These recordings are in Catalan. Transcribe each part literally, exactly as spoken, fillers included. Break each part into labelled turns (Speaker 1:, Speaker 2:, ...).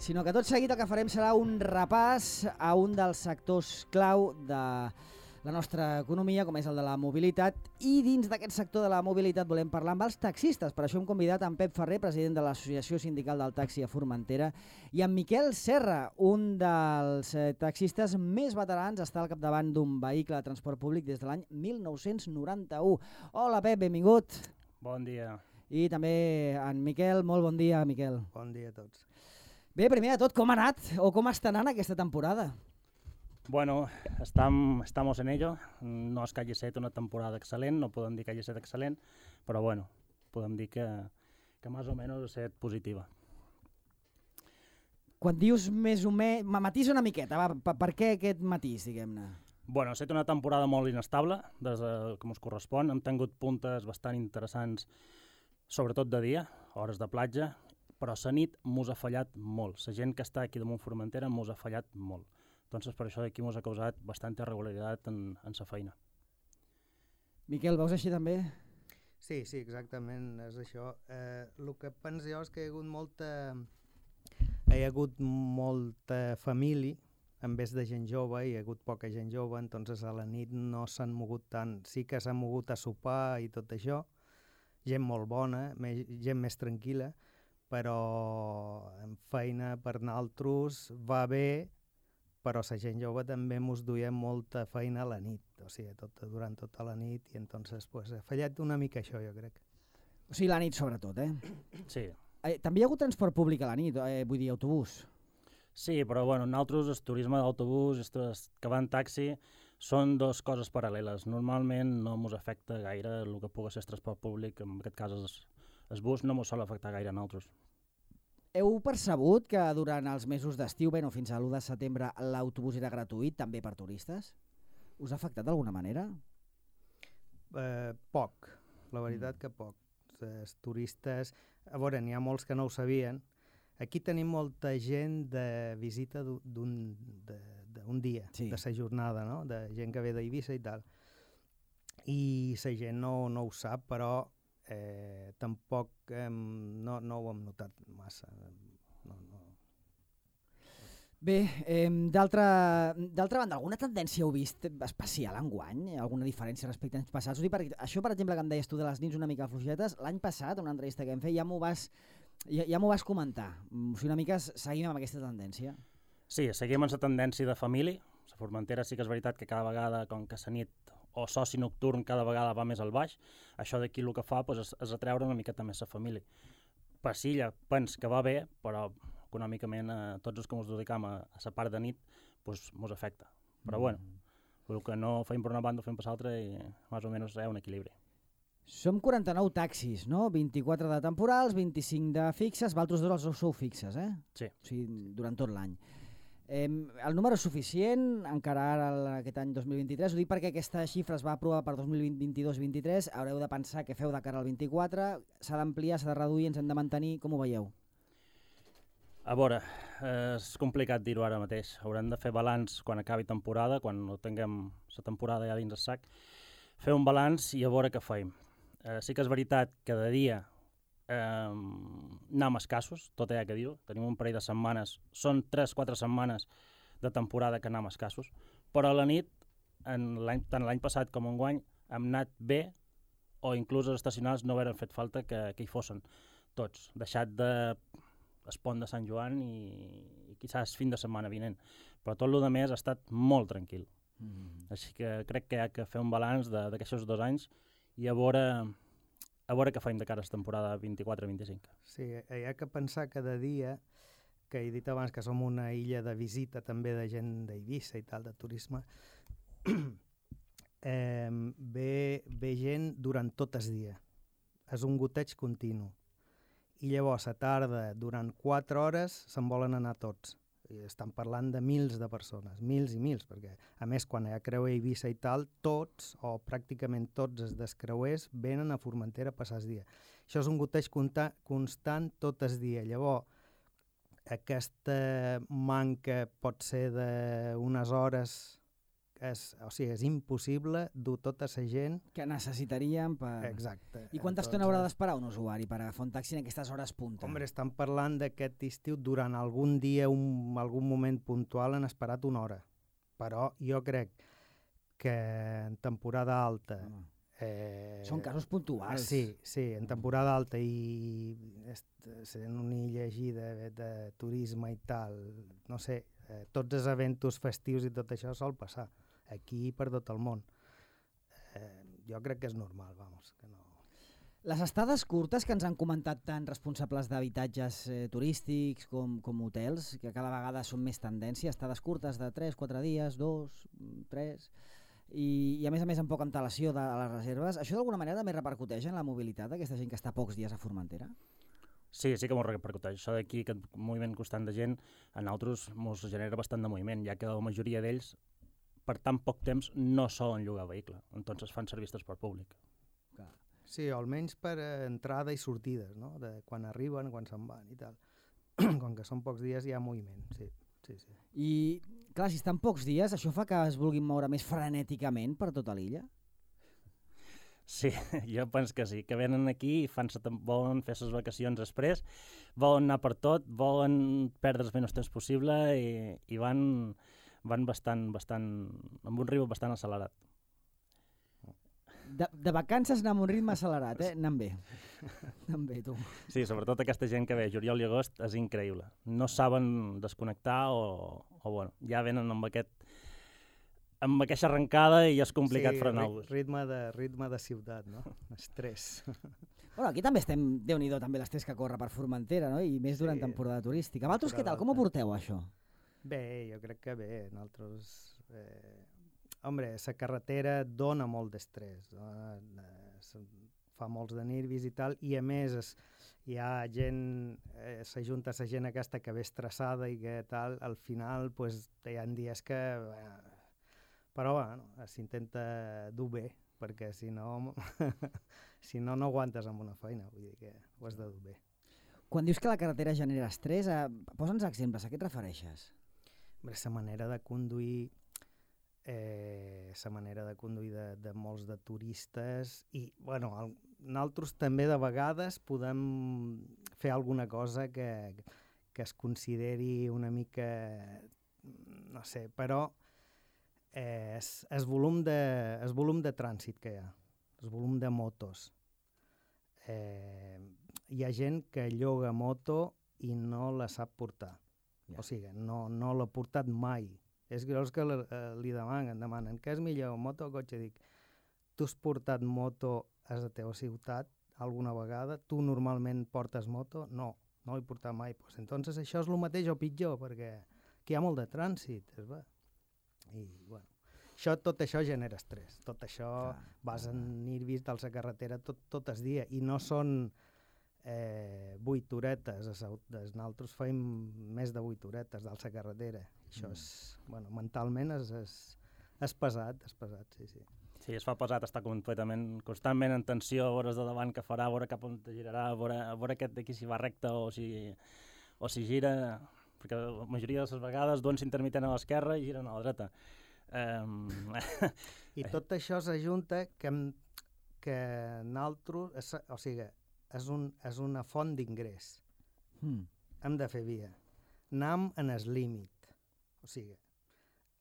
Speaker 1: sinó que tot seguit el que farem serà un repàs a un dels sectors clau de la nostra economia, com és el de la mobilitat, i dins d'aquest sector de la mobilitat volem parlar amb els taxistes. Per això hem convidat en Pep Ferrer, president de l'Associació Sindical del Taxi a Formentera, i en Miquel Serra, un dels taxistes més veterans, està al capdavant d'un vehicle de transport públic des de l'any mil nou-cents noranta-u. Hola Pep, benvingut.
Speaker 2: Bon dia.
Speaker 1: I també en Miquel, molt bon dia, Miquel.
Speaker 3: Bon dia a tots.
Speaker 1: Bé, primer de tot, com ha anat o com està anant aquesta temporada?
Speaker 2: Bueno, estam, estamos en ello. No és que hagi estat una temporada excel·lent, no podem dir que hagi estat excel·lent, però bueno, podem dir que, que més o menys ha estat positiva.
Speaker 1: Quan dius més o menys, matís una miqueta, va, per, per què aquest matís, diguem-ne?
Speaker 2: Bueno, ha estat una temporada molt inestable, des de, com us correspon. Hem tingut puntes bastant interessants, sobretot de dia, hores de platja, però la nit mos ha fallat molt. La gent que està aquí damunt Formentera mos ha fallat molt. Entonces, per això aquí mos ha causat bastanta irregularitat en, en sa feina.
Speaker 1: Miquel, veus així també?
Speaker 3: Sí, sí, exactament, és això. Eh, el que penso jo és que hi ha hagut molta, hi ha hagut molta família, en vez de gent jove, hi ha hagut poca gent jove, entonces a la nit no s'han mogut tant. Sí que s'han mogut a sopar i tot això, gent molt bona, més, gent més tranquil·la, però en feina per nosaltres va bé, però la gent jove també mos duia molta feina a la nit, o sigui, tot, durant tota la nit, i entonces pues, ha fallat una mica això, jo crec.
Speaker 1: O sigui, la nit sobretot, eh?
Speaker 2: Sí.
Speaker 1: Eh, també hi ha hagut transport públic a la nit, eh, vull dir, autobús.
Speaker 2: Sí, però bueno, nosaltres el turisme d'autobús, que va en taxi, són dues coses paral·leles. Normalment no ens afecta gaire el que pugui ser el transport públic, en aquest cas el, el bus no ens sol afectar gaire a nosaltres.
Speaker 1: Heu percebut que durant els mesos d'estiu, bé, no, fins a l'u de setembre, l'autobús era gratuït també per turistes? Us ha afectat d'alguna manera?
Speaker 3: Eh, poc, la veritat que poc. Els turistes, a veure, n'hi ha molts que no ho sabien. Aquí tenim molta gent de visita d'un dia, sí, de sa jornada, no? De gent que ve d'Eivissa i tal. I la gent no, no ho sap, però eh, tampoc eh, no, no ho hem notat massa. No, no.
Speaker 1: Bé, eh, d'altra banda, alguna tendència heu vist especial enguany? Alguna diferència respecte a anys passats? Ho dic perquè això, per exemple, que em deies tu de les nits una mica fluixetes, l'any passat, una entrevista que hem fet, ja m'ho vas, ja, ja m'ho vas comentar. O sigui, una mica seguim amb aquesta tendència.
Speaker 2: Sí, seguim amb la tendència de família. La Formentera sí que és veritat que cada vegada, com que la nit o soci nocturn cada vegada va més al baix, això d'aquí el que fa pues, és, és atreure una miqueta més la família. Passilla, pens que va bé, però econòmicament a tots els que ens dedicam a, a la part de nit pues, mos afecta. Però mm. bueno, el que no fem per una banda ho fem per l'altra i més o menys hi ha un equilibri.
Speaker 1: Som quaranta-nou taxis, no? vint-i-quatre de temporals, vint-i-cinc de fixes, vosaltres dos els sou fixes, eh?
Speaker 2: Sí.
Speaker 1: O sigui, durant tot l'any. Eh, el número és suficient, encara ara aquest any dos mil vint-i-tres, ho dic perquè aquesta xifra es va aprovar per dos mil vint-i-dos vint-i-tres, haureu de pensar què feu de cara al vint-i-quatre, s'ha d'ampliar, s'ha de reduir, ens hem de mantenir, com ho veieu?
Speaker 2: A veure, és complicat dir-ho ara mateix, haurem de fer balanç quan acabi temporada, quan no tinguem la temporada ja dins el sac, fer un balanç i a veure què feim. Eh, sí que és veritat que de dia eh, anem escassos, tot hi ha que dir-ho, tenim un parell de setmanes, són tres quatre setmanes de temporada que anem escassos, però a la nit, en tant l'any passat com enguany, hem anat bé, o inclús els estacionals no hauran fet falta que, que hi fossin tots, deixat de el pont de Sant Joan i, i quizás fin de setmana vinent, però tot el més ha estat molt tranquil. Mm. Així que crec que hi ha que fer un balanç d'aquests dos anys i a veure, a veure què faim de cara a la temporada vint-i-quatre vint-i-cinc.
Speaker 3: Sí, hi ha que pensar cada dia, que he dit abans que som una illa de visita també de gent d'Eivissa i tal, de turisme, eh, ve, ve gent durant tot el dia. És un goteig continu. I llavors a tarda, durant quatre hores, se'n volen anar tots. I estan parlant de mils de persones, mils i mils, perquè a més quan hi ha creuer Eivissa i tal, tots o pràcticament tots els descreuers venen a Formentera a passar el dia. Això és un goteig constant tot el dia. Llavors, aquesta manca pot ser d'unes hores és, o sigui, és impossible dur tota la gent...
Speaker 1: Que necessitaríem per...
Speaker 3: Exacte.
Speaker 1: I quanta estona haurà d'esperar un usuari per agafar un taxi en aquestes hores punta?
Speaker 3: Hombre, estan parlant d'aquest estiu, durant algun dia, un, algun moment puntual, han esperat una hora. Però jo crec que en temporada alta...
Speaker 1: Home.
Speaker 3: Eh,
Speaker 1: Són casos puntuals.
Speaker 3: Sí, sí, en temporada alta i sent una illa així de, de turisme i tal, no sé, eh, tots els eventos festius i tot això sol passar, aquí i per tot el món. Eh, jo crec que és normal, vamos, que no...
Speaker 1: Les estades curtes que ens han comentat tant responsables d'habitatges eh, turístics com, com hotels, que cada vegada són més tendència, estades curtes de tres, quatre dies, dos, tres... I, i a més a més amb poca antelació de les reserves, això d'alguna manera també repercuteix en la mobilitat d'aquesta gent que està pocs dies a Formentera?
Speaker 2: Sí, sí que m'ho repercuteix. Això d'aquí, aquest moviment constant de gent, a nosaltres ens genera bastant de moviment, ja que la majoria d'ells, per tan poc temps, no solen llogar vehicle, entonces fan servir transport públic.
Speaker 3: Clar. Sí, o almenys per entrada i sortides, no? De quan arriben, quan se'n van i tal. Com que són pocs dies hi ha moviment, sí. Sí, sí.
Speaker 1: I, clar, si estan pocs dies, això fa que es vulguin moure més frenèticament per tota l'illa?
Speaker 2: Sí, jo penso que sí, que venen aquí i fan volen fer les vacacions després, volen anar per tot, volen perdre el menys temps possible i, i van, van bastant, bastant, amb un ritme bastant accelerat.
Speaker 1: De, de vacances anar amb un ritme accelerat, eh? Anant bé. Anant bé, tu.
Speaker 2: Sí, sobretot aquesta gent que ve juliol i agost és increïble. No saben desconnectar o, o bueno, ja venen amb aquest amb aquesta arrencada i és complicat
Speaker 3: sí,
Speaker 2: frenar-los.
Speaker 3: Sí, ritme de, ritme de ciutat, no? Estrès.
Speaker 1: Bueno, aquí també estem, Déu-n'hi-do, també l'estrès que corre per Formentera, no? I més durant sí. temporada turística. Vosaltres què tal? Com ho porteu, això?
Speaker 3: Bé, jo crec que bé. Nosaltres... Eh... Hombre, la carretera dona molt d'estrès, no? Fa molts de nervis i tal, i a més es, hi ha gent, eh, s'ajunta la gent aquesta que ve estressada i que tal, al final pues, hi ha dies que... Eh, però bueno, s'intenta dur bé, perquè si no, si no, no aguantes amb una feina, vull dir que ho has de dur bé.
Speaker 1: Quan dius que la carretera genera estrès, eh, posa'ns exemples, a què et refereixes?
Speaker 3: Hombre, la manera de conduir... Eh, la manera de conduir de, de molts de turistes i, bueno, el, nosaltres també de vegades podem fer alguna cosa que, que es consideri una mica, no sé, però eh, es, es, volum de, es volum de trànsit que hi ha, el volum de motos. Eh, hi ha gent que lloga moto i no la sap portar, yeah. O sigui, no, no l'ha portat mai. És greus que li, eh, li demanen, demanen què és millor, moto o cotxe? Dic, tu has portat moto a la teva ciutat alguna vegada? Tu normalment portes moto? No, no l'he portat mai. Pues, entonces això és el mateix o pitjor, perquè aquí hi ha molt de trànsit. És bé. I, bueno, això, tot això genera estrès. Tot això ah, vas en nervis de la carretera tot, tot el dia i no són eh, vuit horetes. Nosaltres feim més de vuit horetes de la carretera. Això és, bueno, mentalment és, és, és pesat, és pesat, sí, sí.
Speaker 2: Sí, es fa pesat estar completament, constantment en tensió, a veure de davant què farà, a veure cap on girarà, a veure, a veure aquest d'aquí si va recte o si, o si gira, perquè la majoria de les vegades duen s'intermitent a l'esquerra i giren a la dreta. Um...
Speaker 3: I tot això s'ajunta que, que nosaltres, o sigui, és, un, és una font d'ingrés. Mm. Hem de fer via. Anem en el límit. O sigui,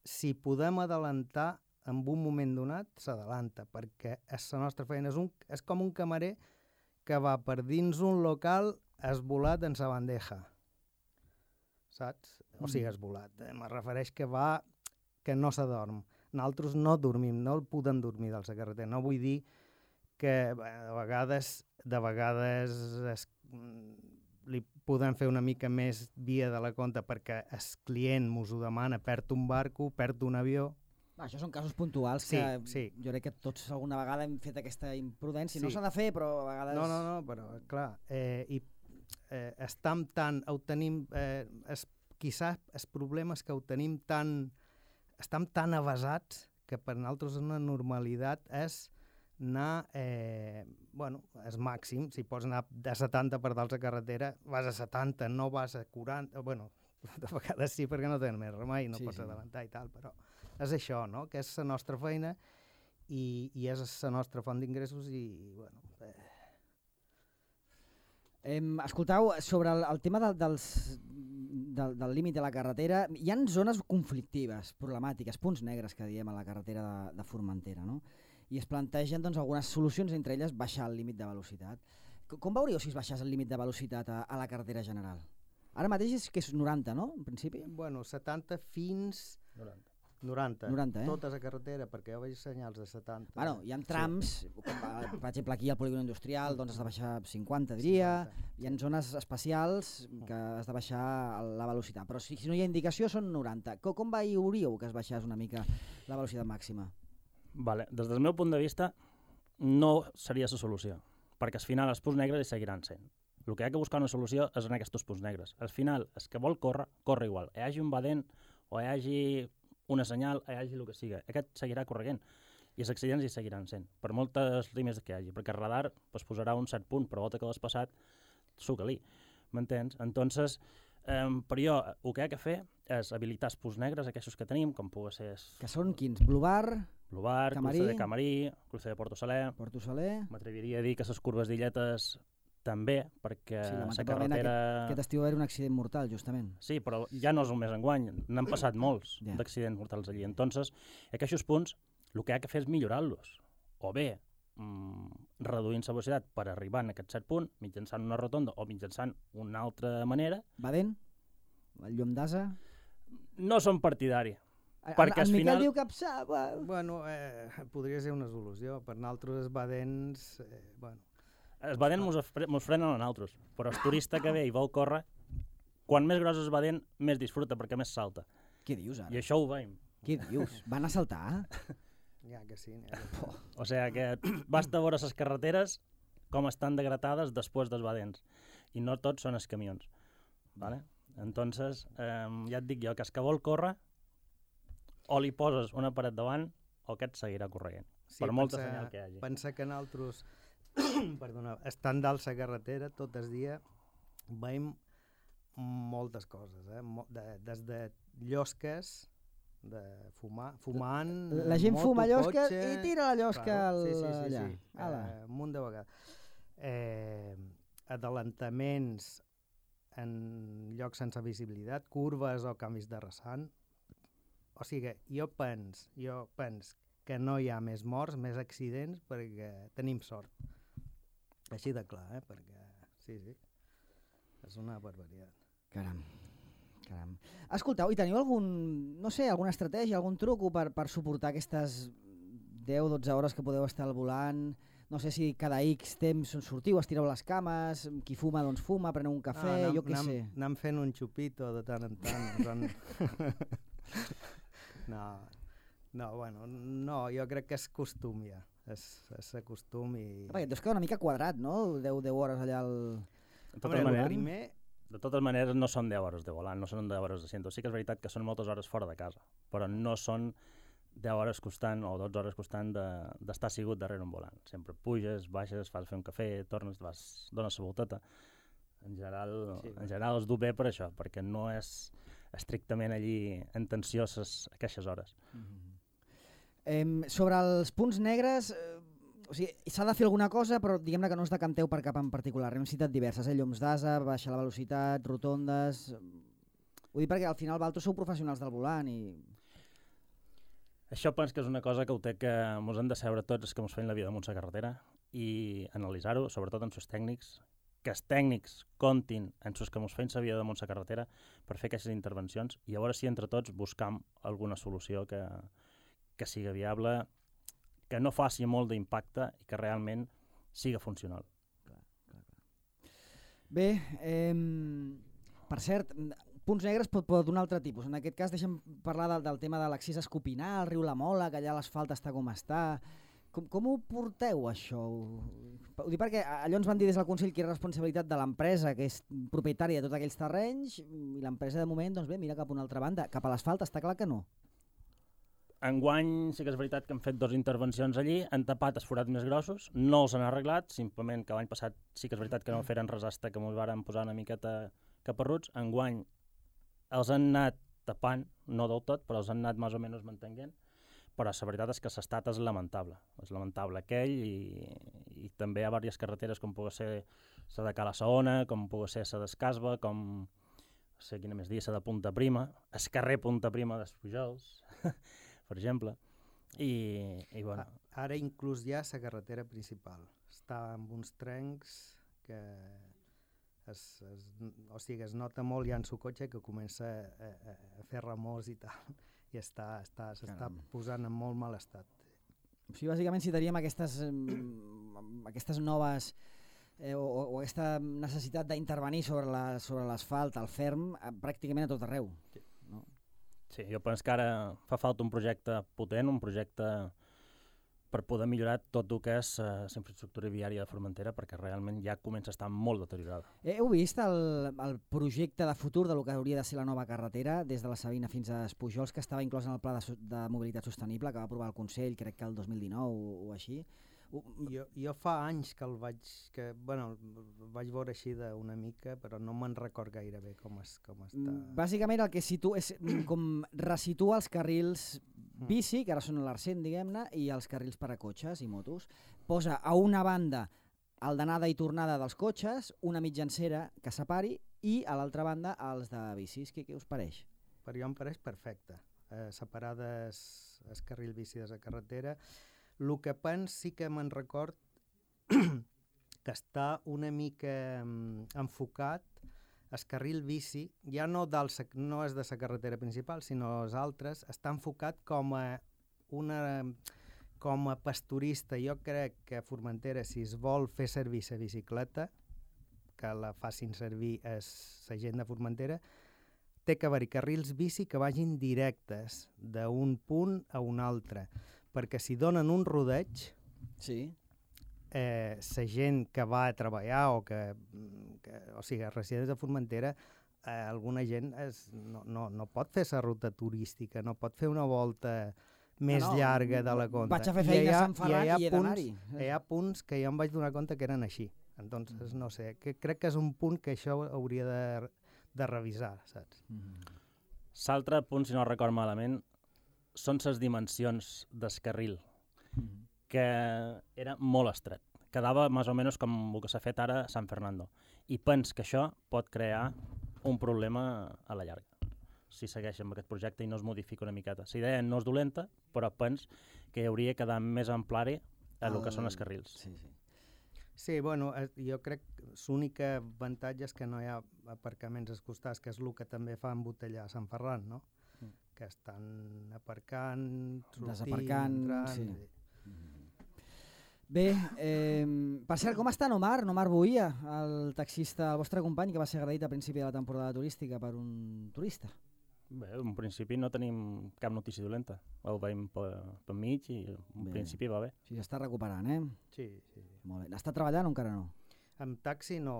Speaker 3: si podem adelantar en un moment donat, s'adalanta, perquè és la nostra feina. És, un, és com un camarer que va per dins un local esvolat en sa bandeja. Saps? O sigui, esvolat. Eh? Me refereix que va, que no s'adorm. Nosaltres no dormim, no el podem dormir de la carretera. No vull dir que bé, de vegades, de vegades es, li podem fer una mica més via de la compte perquè el client mos ho demana, perd un barco, perd un avió.
Speaker 1: Va, això són casos puntuals
Speaker 3: sí,
Speaker 1: que
Speaker 3: sí.
Speaker 1: Jo crec que tots alguna vegada hem fet aquesta imprudència.
Speaker 3: Sí.
Speaker 1: No s'ha de fer, però a vegades...
Speaker 3: No, no, no, però clar, eh, i eh, estam tan, ho tenim, eh, es, quizás els problemes que ho tenim tan, estam tan avasats que per nosaltres una normalitat és anar, eh, bueno, és màxim, si pots anar de setanta per dalt a carretera, vas a setanta, no vas a quaranta, bueno, de vegades sí perquè no tenen més remei, no sí, pots sí. adelantar i tal, però és això, no? Que és la nostra feina i, i és la nostra font d'ingressos i, i bueno... Eh.
Speaker 1: Eh, escoltau, sobre el, el tema de, dels, del, del límit de la carretera, hi ha zones conflictives, problemàtiques, punts negres que diem a la carretera de, de Formentera, no? I es plantegen doncs, algunes solucions, entre elles baixar el límit de velocitat. Com veuríeu si es baixés el límit de velocitat a, a la carretera general? Ara mateix és que és noranta, no? En principi?
Speaker 3: Bueno, setanta fins...
Speaker 2: noranta.
Speaker 3: noranta.
Speaker 1: noranta, eh?
Speaker 3: Tota la carretera, perquè jo veig senyals de setanta.
Speaker 1: Bueno, hi ha trams, sí. com, per exemple aquí al polígon industrial doncs has de baixar cinquanta, diria, cinquanta. Hi ha zones especials que has de baixar la velocitat, però si, si no hi ha indicació són noranta. Com, com veuríeu que es baixés una mica la velocitat màxima?
Speaker 2: Vale. Des del meu punt de vista no seria la solució, perquè al final els punts negres hi seguiran sent. El que hi ha que buscar una solució és en aquests punts negres. Al final, el que vol córrer, corre igual. Hi hagi un badent o hi hagi una senyal, hi hagi el que sigui. Aquest seguirà corregent i els accidents hi seguiran sent, per moltes línies que hi hagi, perquè el radar pues, posarà un cert punt, però volta que l'has passat, suca-li, m'entens? Entonces, eh, per jo, el que hi ha que fer és habilitar els punts negres, aquests que tenim, com pugui ser...
Speaker 1: Que són quins? Blue Bar,
Speaker 2: Blue Bar,
Speaker 1: Camarí,
Speaker 2: Cruce de Camarí, Cruce de Porto Saler...
Speaker 1: Porto Saler...
Speaker 2: M'atreviria a dir que les curves d'illetes també, perquè
Speaker 1: sí,
Speaker 2: la carretera...
Speaker 1: Aquest, aquest estiu va haver un accident mortal, justament.
Speaker 2: Sí, però ja no és només enguany, n'han passat molts
Speaker 1: yeah.
Speaker 2: d'accidents mortals allí. Entonces, aquests punts, el que ha que fer és millorar-los. O bé, mmm, reduint la velocitat per arribar a aquest cert punt, mitjançant una rotonda o mitjançant una altra manera.
Speaker 1: Badent? El llum d'asa?
Speaker 2: No som partidari.
Speaker 1: El,
Speaker 2: perquè
Speaker 1: el
Speaker 2: al
Speaker 1: Miquel
Speaker 2: final...
Speaker 1: diu que psa, bueno,
Speaker 3: bueno eh, podria ser una solució. Per nosaltres els badents... Eh, bueno,
Speaker 2: els badents mos, mos frenen a nosaltres, però el turista que ve i vol córrer, quan més gros és badent, més disfruta, perquè més salta.
Speaker 1: Què dius ara?
Speaker 2: I això ho veiem.
Speaker 1: Què dius? Van a saltar?
Speaker 3: Ja que sí. Ja que sí.
Speaker 2: O sigui que basta veure les carreteres com estan degradades després dels badents. I no tots són els camions. Vale? Entonces, eh, ja et dic jo, que el que vol córrer, o li poses una paret davant, o aquest seguirà corrent. Sí, per molta
Speaker 3: pensa,
Speaker 2: senyal que hi hagi.
Speaker 3: Pensa que nosaltres, perdona, estant dalt la carretera, tot el dia veiem moltes coses, eh? de, des de llosques, de fumar, fumant...
Speaker 1: La gent
Speaker 3: moto,
Speaker 1: fuma llosques
Speaker 3: cotxe...
Speaker 1: i tira la llosca
Speaker 3: claro,
Speaker 1: al,
Speaker 3: sí, sí, sí,
Speaker 1: allà.
Speaker 3: Sí. Eh, un munt de vegades. Eh, adelantaments en llocs sense visibilitat, curves o canvis de rasant. O sigui, jo pens, jo pens que no hi ha més morts, més accidents, perquè tenim sort. Així de clar, eh? Perquè, sí, sí, és una barbaritat.
Speaker 1: Caram, caram. Escolteu, i teniu algun, no sé, alguna estratègia, algun truc per, per suportar aquestes deu o dotze hores que podeu estar al volant? No sé si cada X temps sortiu, estireu les cames, qui fuma doncs fuma, preneu un cafè,
Speaker 3: no, anem,
Speaker 1: jo què
Speaker 3: anem,
Speaker 1: sé.
Speaker 3: Anem fent un xupito de tant en tant. Doncs... no, no, bueno, no, jo crec que és costum ja, és, és costum i...
Speaker 1: Perquè et deus quedar una mica quadrat, no? deu hores allà al...
Speaker 2: De totes,
Speaker 3: Home,
Speaker 2: maneres,
Speaker 3: primer...
Speaker 2: de totes maneres no són deu hores de volant, no són deu hores de ciento. Sí que és veritat que són moltes hores fora de casa, però no són deu hores costant o dotze hores costant d'estar de, sigut darrere un volant. Sempre puges, baixes, fas fer un cafè, tornes, vas, dones la volteta. En general, sí, en general els du bé per això, perquè no és estrictament allí en tensió ses, aquestes hores.
Speaker 1: Mm-hmm. eh, sobre els punts negres, eh, o sigui, s'ha de fer alguna cosa, però diguem-ne que no us decanteu per cap en particular. Hem citat diverses, eh? llums d'asa, baixar la velocitat, rotondes... Vull dir perquè al final vosaltres sou professionals del volant i...
Speaker 2: Això penso que és una cosa que ho té que ens hem de saber tots els que ens feim la vida damunt la carretera i analitzar-ho, sobretot amb els tècnics, que els tècnics comptin en els que ens feim la vida damunt la carretera per fer aquestes intervencions i a veure si entre tots buscam alguna solució que, que sigui viable, que no faci molt d'impacte i que realment siga funcional.
Speaker 1: Clar, clar, clar. Bé, eh, per cert, punts negres pot, pot d'un altre tipus. En aquest cas deixem parlar del, del tema de l'accés a Escopinar, al riu La Mola, que allà l'asfalt està com està. Com, com ho porteu, això? Ho dic perquè allò ens van dir des del Consell que és responsabilitat de l'empresa, que és propietària de tots aquells terrenys, i l'empresa de moment, doncs bé, mira cap a una altra banda. Cap a l'asfalt està clar que no.
Speaker 2: Enguany sí que és veritat que han fet dues intervencions allí, han tapat els forats més grossos, no els han arreglat, simplement que l'any passat sí que és veritat que no feren res hasta que ens varen posar una miqueta caparruts. Enguany els han anat tapant no del tot, però els han anat més o menys mantenint, però la veritat és que l'estat és lamentable, és lamentable aquell i, i també hi ha diverses carreteres com pugui ser la de Cala Saona, com pugui ser la d'Escasba, com no sé quina més dia, la de Punta Prima, el carrer Punta Prima dels Pujols, per exemple, i, i bueno...
Speaker 3: Ara inclús ja la carretera principal està amb uns trencs que es, es, o sigui, es nota molt ja en el cotxe que comença a, a, a fer remors i tal, i està, està, s'està posant en molt mal estat.
Speaker 1: O sigui, bàsicament citaríem aquestes, aquestes noves eh, o, o aquesta necessitat d'intervenir sobre la, sobre l'asfalt, al ferm, pràcticament a tot arreu. No?
Speaker 2: Sí, jo penso que ara fa falta un projecte potent, un projecte per poder millorar tot el que és la uh, infraestructura viària de Formentera, perquè realment ja comença a estar molt deteriorada.
Speaker 1: Heu vist el, el projecte de futur de lo que hauria de ser la nova carretera des de la Sabina fins a Espujols, que estava inclòs en el Pla de, de Mobilitat Sostenible que va aprovar el Consell, crec que el dos mil dinou o, o així?
Speaker 3: Jo, jo fa anys que el vaig, que, bueno, el vaig veure així d'una mica, però no me'n record gaire bé com, es, com està.
Speaker 1: Bàsicament el que situa és com resitua els carrils bici, que ara són l'Arcent, diguem-ne, i els carrils per a cotxes i motos. Posa a una banda el d'anada i tornada dels cotxes, una mitjancera que separi, i a l'altra banda els de bicis. Què, què us pareix?
Speaker 3: Per jo em pareix perfecte. Eh, separades el carril bici de la carretera. El que pens sí que me'n record que està una mica um, enfocat el carril bici, ja no, del, no és de la carretera principal, sinó els altres, està enfocat com a, una, com a pasturista. Jo crec que a Formentera, si es vol fer servir la bicicleta, que la facin servir la gent de Formentera, té que haver-hi carrils bici que vagin directes d'un punt a un altre, perquè si donen un rodeig,
Speaker 1: sí.
Speaker 3: eh, la gent que va a treballar o que, que o sigui, residents de Formentera, eh, alguna gent es, no, no, no pot fer la ruta turística, no pot fer una volta més no, no, llarga de la compte.
Speaker 1: Vaig a fer feina a Sant Ferran i, i he d'anar-hi.
Speaker 3: Hi ha punts que jo em vaig donar compte que eren així. Entonces, no sé, que, crec que és un punt que això hauria de, de revisar, saps?
Speaker 2: L'altre punt, si no record malament, són les dimensions del carril, mm-hmm. que era molt estret. Quedava més o menys com el que s'ha fet ara a San Fernando. I pens que això pot crear un problema a la llarga, si segueix amb aquest projecte i no es modifica una miqueta. La idea no és dolenta, però pens que hauria de quedar més amplari a el que són els carrils.
Speaker 3: Sí, sí. Sí, bueno, jo crec que l'únic avantatge és que no hi ha aparcaments als costats, que és el que també fa embotellar a Sant Ferran, no? Mm. Que estan aparcant, sortint,
Speaker 1: desaparcant,
Speaker 3: entrant...
Speaker 1: Sí. Bé, eh, per cert, com està Omar, Omar Boia, el taxista, el vostre company, que va ser agredit a principi de la temporada turística per un turista?
Speaker 2: Bé, en principi no tenim cap notícia dolenta. El veiem per, per mig i en bé. Principi va bé.
Speaker 1: Sí, s'està recuperant, eh?
Speaker 3: Sí, sí.
Speaker 1: Molt bé. Està treballant o encara no?
Speaker 3: Amb taxi no.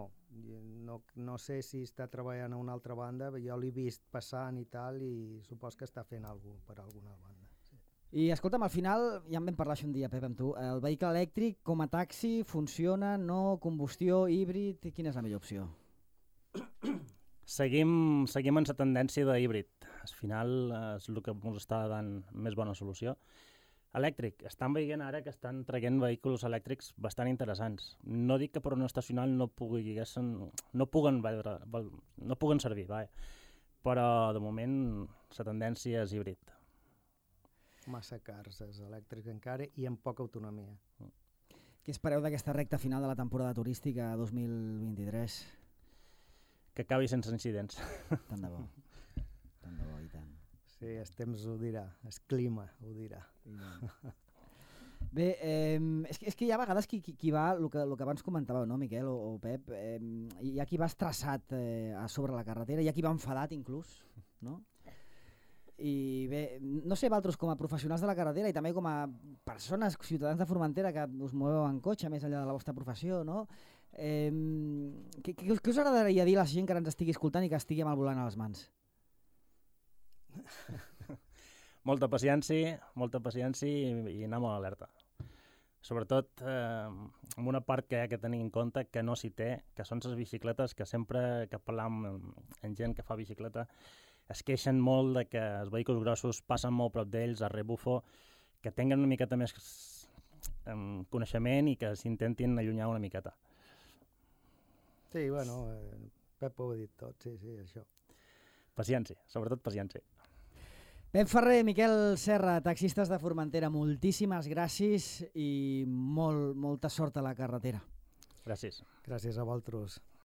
Speaker 3: no. No sé si està treballant a una altra banda, jo l'he vist passant i tal i supos que està fent alguna cosa per alguna banda. Sí.
Speaker 1: I escolta'm, al final, ja en vam parlar un dia, Pep, amb tu, el vehicle elèctric com a taxi funciona, no, combustió, híbrid, quina és la millor opció?
Speaker 2: Seguim, seguim en la tendència de híbrid. Al final és el que ens està dant més bona solució. Elèctric. Estan veient ara que estan traient vehicles elèctrics bastant interessants. No dic que per un estacional no, pugui, no, puguen, no puguen servir, va. Però de moment la tendència és híbrid.
Speaker 3: Massa cars els elèctrics encara i amb poca autonomia.
Speaker 1: Què espereu d'aquesta recta final de la temporada turística dos mil vint-i-tres?
Speaker 2: Que acabi sense incidents.
Speaker 1: Tant de bo. Tant de bo i tant.
Speaker 3: Sí, el temps ho dirà, el clima ho dirà.
Speaker 1: Bé, eh, és, que, és que hi ha vegades qui, qui, qui va, el que, el que abans comentàveu, no, Miquel o, o Pep, eh, hi ha qui va estressat eh, a sobre la carretera, hi ha qui va enfadat inclús, no? I bé, no sé, vosaltres com a professionals de la carretera i també com a persones, ciutadans de Formentera que us moveu en cotxe més enllà de la vostra professió, no? Eh, què, què, què us agradaria dir a la gent que ens estigui escoltant i que estigui amb el volant a les mans?
Speaker 2: Molta paciència, molta paciència i, i anar molt alerta. Sobretot eh, amb una part que hi ha que tenir en compte que no s'hi té, que són les bicicletes, que sempre que parlam amb, amb gent que fa bicicleta, es queixen molt de que els vehicles grossos passen molt prop d'ells, a rebufo, que tinguen una miqueta més um, coneixement i que s'intentin allunyar una miqueta.
Speaker 3: Sí, bueno, eh, Pep ho ha dit tot, sí, sí, això.
Speaker 2: Paciència, sobretot paciència.
Speaker 1: Pep Ferrer, Miquel Serra, taxistes de Formentera, moltíssimes gràcies i molt, molta sort a la carretera.
Speaker 2: Gràcies.
Speaker 3: Gràcies a vosaltres.